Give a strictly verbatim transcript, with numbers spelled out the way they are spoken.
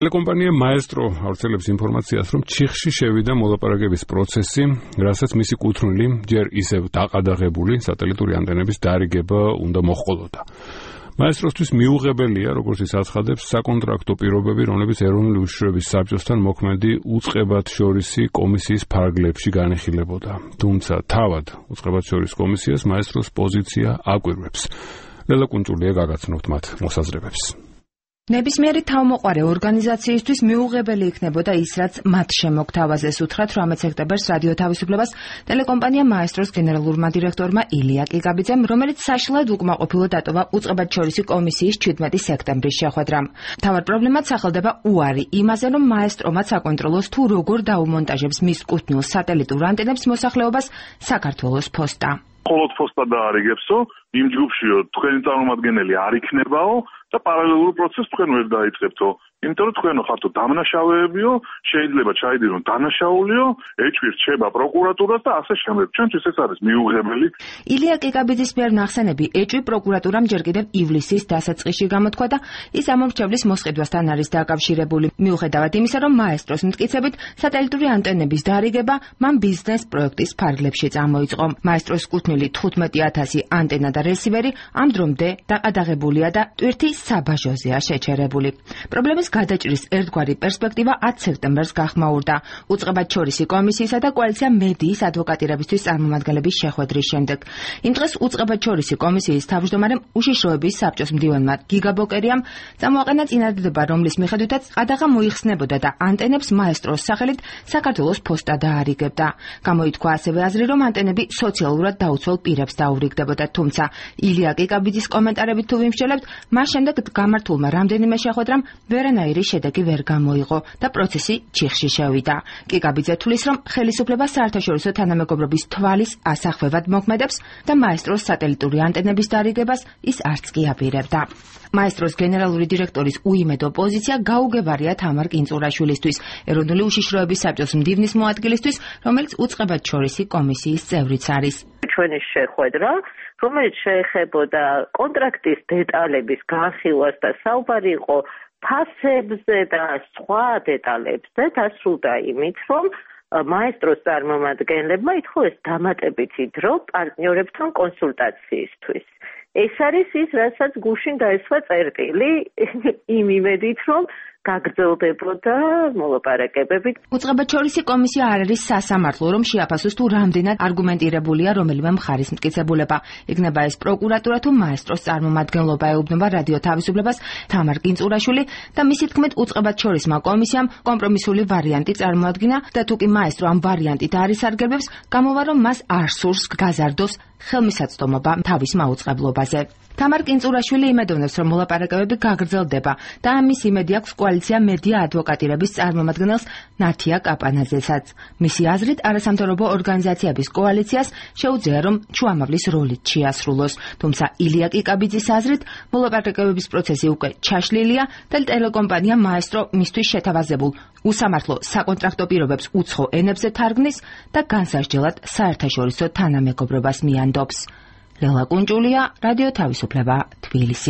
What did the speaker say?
ტელეკომპანია მაესტრო ავრცელებს ინფორმაციას, რომ ჩიხში შევიდა მოლაპარაკების პროცესი, რასაც მისი კუთვნილი ჯერ ისევ დაყადაღებული სატელიტური ანტენების დარიგება უნდა მოჰყოლოდა. მაესტროსთვის მიუღებელია, როგორც ის აცხადებს, საკონტრაქტო პირობები, რომლებიც ეროვნული უშიშროების საბჭოსთან მოქმედი უწყებათშორისი კომისიის ფარგლებში განიხილებოდა. თუმცა თავად უწყებათშორისი კომისიას მაესტროს პოზიცია აკვირვებს. ლელა კუნჭულია გაგაცნობთ მათ მოსაზრებებს. ნებისმიერი თავმოყარე ორგანიზაციისთვის მიუღებელი იქნებოდა ის, რაც მათ შემოგთავაზეს, უთხრა თვრამეტ სექტემბერს რადიო თავისუფლებას ტელეკომპანია მაესტროს გენერალურმა დირექტორმა ილია კიკაბიძემ, რომელიც საშინლად უკმაყოფილო დატოვა უწყებათშორისი კომისიის ჩვიდმეტი სექტემბრის შეხვედრამ. მთავარ პრობლემად სახელდება უარი იმაზე, რომ მაესტრომა საკონტროლოს თუ როგორ დაუმონტაჟებს მის კუთვნილ სატელიტურ ანტენებს მოსახლეობას საქართველოს ფოსტა. მხოლოდ ფოსტა დაარიგებსო, იმ ჯგუფშიო თქვენი წარმომადგენელი არ იქნებაო და პარალელურ პროცესს თქვენ ვერ დაიწყებთო. იმიტომ რომ თქვენო ხართო დამნაშავეებიო, შეიძლება ჩაიდირონ დანაშაულიო, ეჭვი რჩება პროკურატურას და ასე შემდეგ. ჩვენთვის ეს არის მიუღებელი. ილია კიკაბიძის მიერ ნახსენები ეჭვი პროკურატურამ ჯერ კიდევ ივლისის დასაწყისში გამოთქვა და ის ამომრჩევლის მოსყიდვასთან არის დაკავშირებული. მიუხედავად იმისა, რომ მაესტროს მტკიცებით სატელიტური ანტენების დარიგება მან ბიზნეს პროექტის ფარგლებში წამოიწყო. მაესტროს კუთვნილი თხუთმეტი ათასი ანტენა და რესივერი ამ დრომდე დაყადაღებულია და ტვირთი საბაჟოზეა შეჩერებული. პრობლემის გადაჭრის ერთგვარი პერსპექტივა ათ სექტემბერს გახმაურდა უწყებათშორისი კომისიისა და კოალიცია მედიის ადვოკატირებისთვის წარმომადგენლების შეხვედრის შემდეგ. იმ დღეს უწყებათშორისი კომისიის თავმჯდომარემ უშიშროების საბჭოს მდივანმა გიგა ბოკერიამ წამოაყენა წინადადება, რომლის მიხედვითაც ყადაღა მოიხსნებოდა და ანტენებს მაესტროს სახელით საქართველოს ფოსტა დაარიგებდა. გამოითქვა ასევე აზრი, რომ ანტენები სოციალურად დაუცველ პირებს დაურიგდებოდა, თუმცა ილია კიკაბიძის კომენტარებით თუ ვიმსჯელებთ, მას შემდეგ გამართულმა რამდენიმე შეხვედრამ ვერანაირი შედეგი ვერ გამოიღო და პროცესი ჩიხში შევიდა. კიკაბიძე თვლის, რომ ხელისუფლება საერთაშორისო თანამეგობრობის თვალის ასახვევად მოქმედებს და მაესტროს სატელიტური ანტენების დარიგებას ის არც კი აპირებდა. მაესტროს გენერალური დირექტორის უიმედო პოზიცია გაუგებარია თამარ კინწურაშვილისთვის, ეროვნული უშიშროების საბჭოს მდივნის მოადგილისთვის, რომელიც უწყებათშორისი კომისიის წევრიც არის. ჩვენი შეხვედრა, რომელიც შეეხებოდა კონტრაქტის დეტალების განხილვას და საუბარი იყო ფასებზე და სხვა დეტალებზე, დასრულდა იმით, რომ მაესტროს წარმომადგენლებმა ითხოვეს დამატებითი დრო პარტნიორებთან კონსულტაციისთვის. ეს არის ის, რასაც გუშინ დაესვა წერტილი იმ იმედით, რომ გაგრძელდებოდა მოლაპარაკებები. უწყებათშორისი კომისია არ არის სასამართლო, რომ შეაფასოს თუ რამდენად არგუმენტირებულია რომელიმე მხარის მტკიცებულება. იქნება ეს პროკურატურა თუ მაესტროს წარმომადგენლობა, ეუბნება რადიო თავისუფლებას თამარ კინწურაშვილი და მისი თქმით უწყებათშორისმა კომისიამ კომპრომისული ვარიანტი წარმოადგინა და თუ კი მაესტრო ამ ვარიანტით არ ისარგებლებს, გამოვა რომ მას არ სურს გაზარდოს ხელმისაწვდომობა თავის მაუწყებლობაზე. თამარ კინწურაშვილი იმედოვნებს, რომ მოლაპარაკებები გაგრძელდება და ამის იმედი აქვს კოალიცია მედია ადვოკატირების წარმომადგენელს ნათია კაპანაძესაც. მისი აზრით, არასამთავრობო ორგანიზაციების კოალიციას შეუძლია, რომ შუამავლის როლით შეასრულოს. თუმცა ილია კიკაბიძის აზრით, მოლაპარაკებების პროცესი უკვე ჩაშლილია და ტელეკომპანია მაესტრო მისთვის შეთავაზებულ უსამართლო საკონტრაქტო პირობებს უცხო ენებზე თარგმნის და განსასჯელად საერთაშორისო თანამეგობრობას მიანდობს. ლელა კუნჭულია, რადიო თავისუფლება, თბილისი.